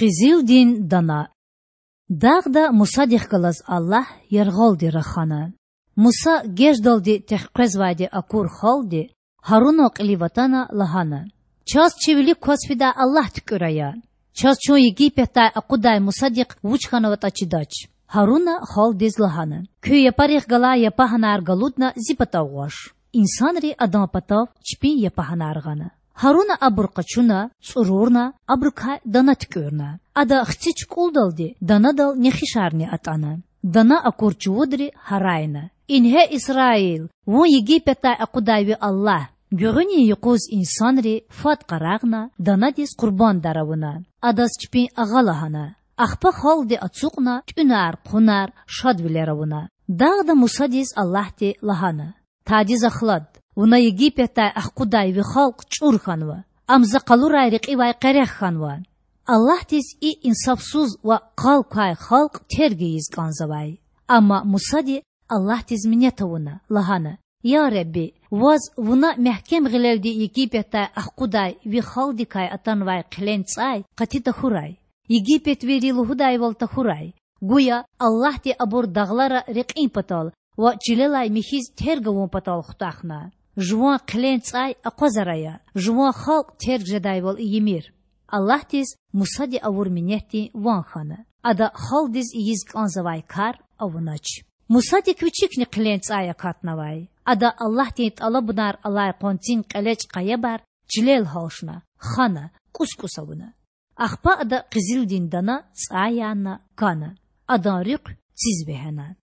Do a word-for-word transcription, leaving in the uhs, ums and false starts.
Къизилдин дана. Дагъда Мусадихъ галаз Аллагь яргъалди рахана. Муса геждалди тахкъвезвайди акур халкьди Гьарунан кьилив атана лагьана: Чаз чи вилик кваз фидай Аллагь туькІуьр ая. Чаз чун Египетдай акъудай Мусадихъ вуч хьанватІа чидач. Гьаруна халкьдиз лагьана: Куь япарихъ галай япагьанар галудна зи патав гъваш. Инсанри адан патав чпин япагьанар гъана. Гьаруна абур къачуна, цІурурна, абурукай дана туькІуьрна. Ада хци чукІулдалди данадал нехишарни атІана. Дана акур чувудри гьарайна: Ингье, Исраил, вун Египетдай акъудай ви Аллагь! Гуьгъуьнин юкъуз инсанри фад къарагъна, данадиз къурбандар авуна, адаз чпин агъа лагьана. Ахпа халкьди ацукьна тІуьнар-хъунар, шадвилер авуна. Дагъда Мусадиз Аллагьди лагьана: Тадиз ахлад, вуна Египетдай ахкъудай ви халкь чІур хьанва. Ам За къалурай рекьивай къерех хьанва. Аллагьдиз и инсафсуз ва къал квай халкь терг ийиз кІанзавай. Амма Мусади Аллагьдиз минет авуна, лагьана: Я Худа, Ваз вуна мягькем гъилелди Египетдай ахкъудай ви халкьдикай атанвай хъилен цІай къати тахьурай, египетвийри лугьудайвал тахьурай. Гуя Аллагьди абур дагълара рекьин патал ва чилелай михьиз терг авун патал хутахна. Жуван хъилен цІай акъвазар ая, жуван халкь терг жедайвал ийимир. Аллагьдиз Мусади авур минетдин ван хьана. Ада халкьдиз ийиз кІанзавай кар авунач. Мусадик вичикни хъилен цІай акатнавай. Ада Аллагьдин тІалабунар алай къванцин кьелечІ къаябар чилел гьалчна, хана, кІус-кІус авуна. Ахпа ада къизилдин дана цІай яна, кана. Адан руьхъ циз вегьена.